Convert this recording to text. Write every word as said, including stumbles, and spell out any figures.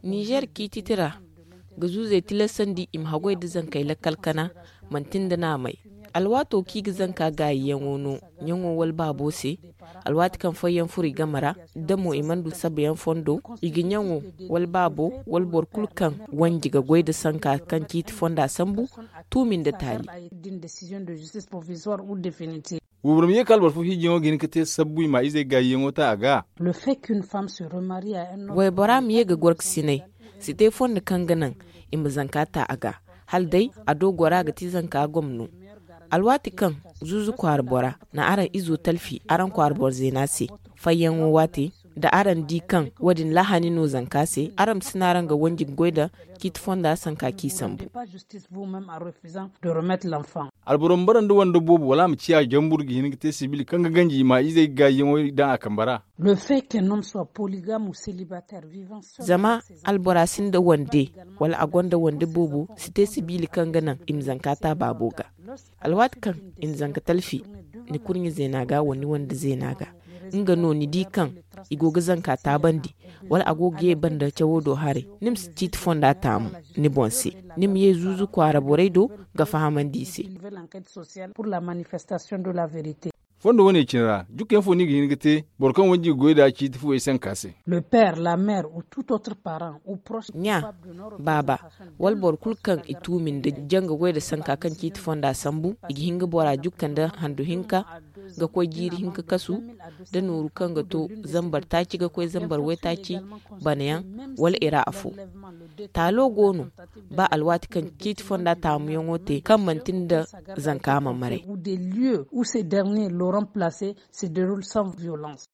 Nizer ciiti tira ga zuuzey tilasandi i ma haggoy nda zankey lakkal kana, manti nda naamey. Alwaato kaŋ i ga zanka gaayiyaŋo no ɲaŋo wala baabo se. Alwaati kaŋ fooyaŋ furo i game ra, da mo i mana du sabayaŋ fondo, i ga ɲaŋo wala baabo wala boro kulu kaŋ wanji ga goy nda sanka kaŋ ciiti fonda sambu, tuumi nda taali. Wayboro ma ye ka alboro fo hiijiyaŋo ga hin ga te sabbu i ma izey gaayiyaŋo ta a ga. Waybora ma ye ga gorkasinay si te fondo kaŋ ga naŋ i ma zanka ta a ga, hala day a do gora ga ti zanka gomno. Alwaati kaŋ zuuzu kwaara bora na araŋ izo talfi araŋ kwaara boro zeena se, fayyaŋo waate, da araŋ di kaŋ wo- din lahani no zanka se, araŋ ma si naaraŋ ga wanji ga goy nda ciiti fonda sanka kaŋ sambu. Alboro ma bara nda wande boobo wala a ma ciya jambur ga hin ga te sibil kaŋ ga ganji i ma izey gaayiyaŋo daŋ a kambe ra. Zama albora sinda wande wala a gonda wande boobo si te sibiili kaŋ ga naŋ i ma zanka ta baabo ga. Alwaati kaŋ i na zanka talfi, ni kurɲe zeena ga wala ni wande zeena ga, nga no ni di kaŋ i go ga zanka taabandi, wala a go ga ye banda cawo do haray, ni ma si ciiti fonda taamu ni boŋ se. Ni ma ye zuuzu kwaara borey do ga fahamandi i se. Fondo wane cine ra jukkayaŋ fo no i ga hin ga te boro kaŋ wanji ga goy nd'a ciiti fuwey sanka se? Ɲa, baaba, wala boro kulu kaŋ i tuumi nda janga goy nda sanka kaŋ ciiti fonda sambu, i ga hin ga bora jukka nda handu hinka ga koy jiiri hinka kasu, da nooru kaŋ ga to zambar taaci ga koy zambar waytaaci banayaŋ, wala i ra afo. Taalo go no, ba alwaati kaŋ ciiti fonda taamuyaŋo te kaŋ manti nda zanka ma maray. Ces derniers l'ont remplacé se déroule sans violence.